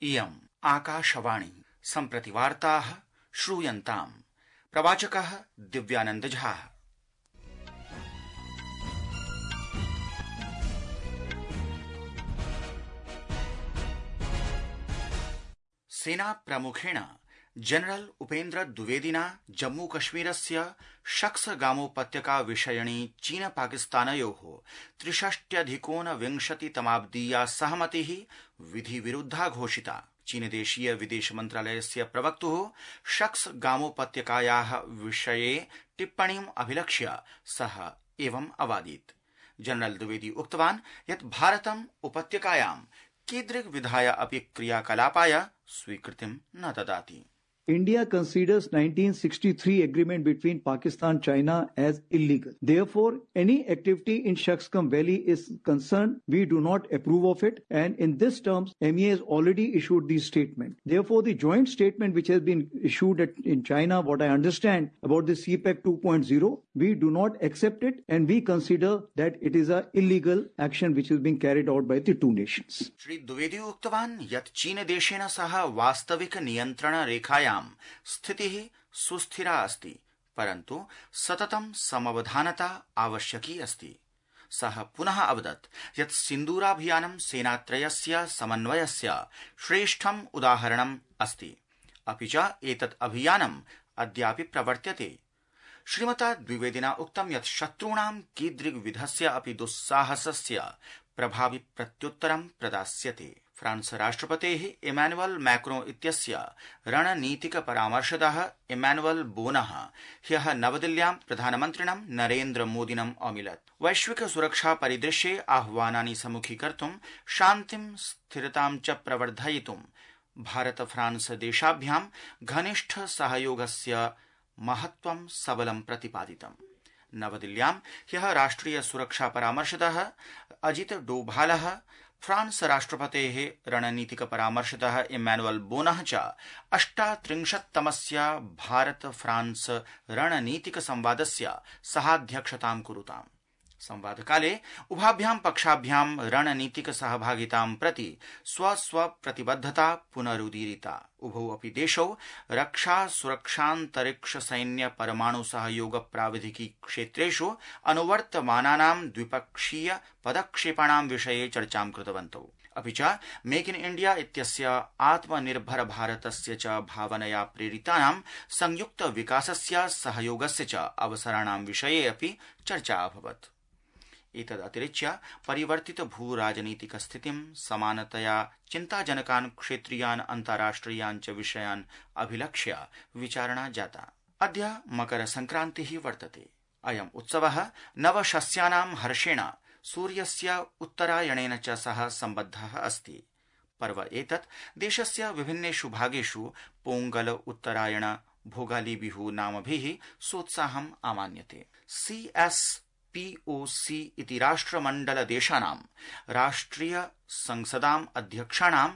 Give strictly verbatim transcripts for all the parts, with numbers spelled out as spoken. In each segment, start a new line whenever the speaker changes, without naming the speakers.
इयम् आकाशवाणी सम्प्रति वार्ताः श्रूयन्ताम्। प्रवाचकः दिव्यानंद झा। सेना प्रमुखेण जनरल उपेन्द्र द्विवेदिना जम्मू कश्मीरस्य शख्सगामोपत्यका विषयिणी चीन पाकिस्तानयोः त्रिषष्ट्यधिकोनविंशतितमाब्दीया सहमतिः विधिविरुद्धा घोषिता। चीनदेशीय विदेश मन्त्रालयस्य प्रवक्तुः शख्सगामोपत्यकायाः विषये टिप्पणीम् अभिलक्ष्य सः एवम् अवादीत्। जनरल द्विवेदी उक्तवान् यत् भारतम् उपत्यकायां कीदृग्विधाय अपि क्रियाकलापाय स्वीकृतिं न ददाति।
India considers nineteen sixty-three agreement between Pakistan and China as illegal. Therefore, any activity in Shaksgam Valley is concerned. We do not approve of it. And in this terms, M E A has already issued the statement. Therefore, the joint statement which has been issued at, in China, what I understand about the C PAC two point oh, we do not accept it and we consider that it is an illegal action which is being carried out by the two nations.
Shri Dwivedi उक्तवान् यत् China देशेन सह वास्तविक नियन्त्रण रेखायां स्थितिः सुस्थिरा अस्ति, परन्तु सततं समवधानता आवश्यकी अस्ति। सः पुनः अवदत् यत् सिन्दूराभियानं सेनात्रयस्य समन्वयस्य श्रेष्ठम् उदाहरणम् अस्ति, अपि च एतत् अभियानम् अद्यापि प्रवर्त्यते। श्रीमता द्विवेदिना उक्तं यत् शत्रूणां कीदृग्विधस्य अपि दुस्साहसस्य प्रभावि प्रत्युत्तरं प्रदास्यते। फ्रांस राष्ट्रपतेः इमैनुअल मैक्रों इत्यस्य रणनीतिक परामर्शदः इमैनुअल बोनः ह्यः नवदिल्ल्यां प्रधानमन्त्रिणं नरेन्द्र मोदिनम् अमिलत्। वैश्विक सुरक्षा परिदृश्ये आह्वानानि सम्मुखीकर्तुं शान्तिं स्थिरतां च प्रवर्धयितुं भारत फ्रांस देशाभ्यां घनिष्ठ सहयोगस्य महत्त्वं सबलं प्रतिपादितम्। नवदिल्ल्यां ह्यः राष्ट्रिय सुरक्षा परामर्शदः अजित डोभालः फ्रांस राष्ट्रपतेः रणनीतिक परामर्शदः इमैनुअल बोनः च अष्टात्रिंशत्तमस्य भारत फ्रांस रणनीतिक संवादस्य सहाध्यक्षतां कुरुताम्। संवादकाले उभाभ्यां पक्षाभ्यां रणनीतिक सहभागितां प्रति स्वस्व प्रतिबद्धता पुनरुदीरिता। उभौ अपि देशौ रक्षा सुरक्षान्तरिक्ष सैन्य परमाणु सहयोग प्राविधिकी क्षेत्रेषु अनुवर्तमानानां द्विपक्षीय पदक्षेपाणां विषये चर्चां कृतवन्तौ। अपि च मेक इन इंडिया इत्यस्य आत्मनिर्भर भारतस्य च भावनया प्रेरितानां संयुक्त विकासस्य सहयोगस्य च अवसराणां विषये अपि चर्चा अभवत्। एतदतिरिच्य परिवर्तित भूराजनीतिक स्थितिं समानतया चिन्ताजनकान् क्षेत्रीयान् अन्ताराष्ट्रियान् च विषयान् अभिलक्ष्य विचारणा जाता। अद्य मकर संक्रान्तिः वर्तते। अयम् उत्सवः नवशस्यानां हर्षेण सूर्यस्य उत्तरायणेन च सह सम्बद्धः अस्ति। पर्व एतत् देशस्य विभिन्नेषु भागेषु पोंगल उत्तरायण भोगाली बिहू नामभिः सोत्साहम् आमान्यते। C S P O C इति राष्ट्रमण्डल देशानां राष्ट्रिय संसदाम् अध्यक्षाणां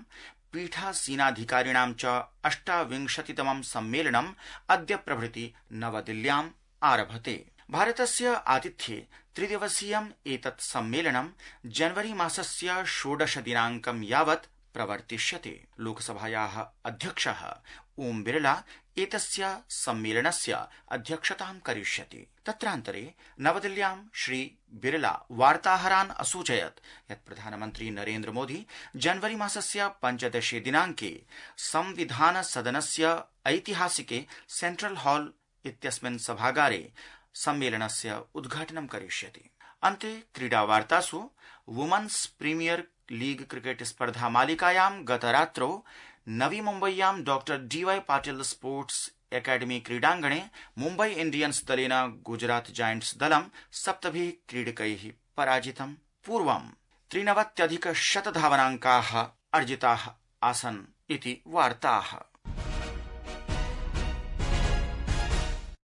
पीठासीनाधिकारिणां च अष्टाविंशतितमं सम्मेलनम् अद्य प्रभृति नवदिल्ल्याम् आरभते। भारतस्य आतिथ्ये त्रिदिवसीयम् एतत् सम्मेलनं जनवरी मासस्य षोडश दिनाङ्कं यावत् प्रवर्तिष्यते। लोकसभायाः अध्यक्षः ओम बिरला एतस्य सम्मेलनस्य अध्यक्षतां करिष्यति। तत्रान्तरे नवदिल्ल्यां श्री बिरला वार्ताहरान् असूचयत् यत् प्रधानमन्त्री नरेन्द्र मोदी जनवरी मासस्य पञ्चदशे दिनाङ्के संविधान सदनस्य ऐतिहासिके सेंट्रल हॉल इत्यस्मिन् सभागारे सम्मेलनस्य उद्घाटनं करिष्यति। अन्ते क्रीडावार्तासु वुमेन्स प्रीमियर लीग क्रिकेट स्पर्धा मालिकायां गतरात्रौ नवी मुम्बय्यां doctor D Y Patil sports academy क्रीडाङ्गणे मुम्बई इंडियन्स दलेन गुजरात जायंट्स दलं सप्तभिः क्रीडकैः पराजितम्। पूर्वं त्रिनवत्यधिक शत धावनाङ्काः अर्जिताः आसन् इति वार्ताः।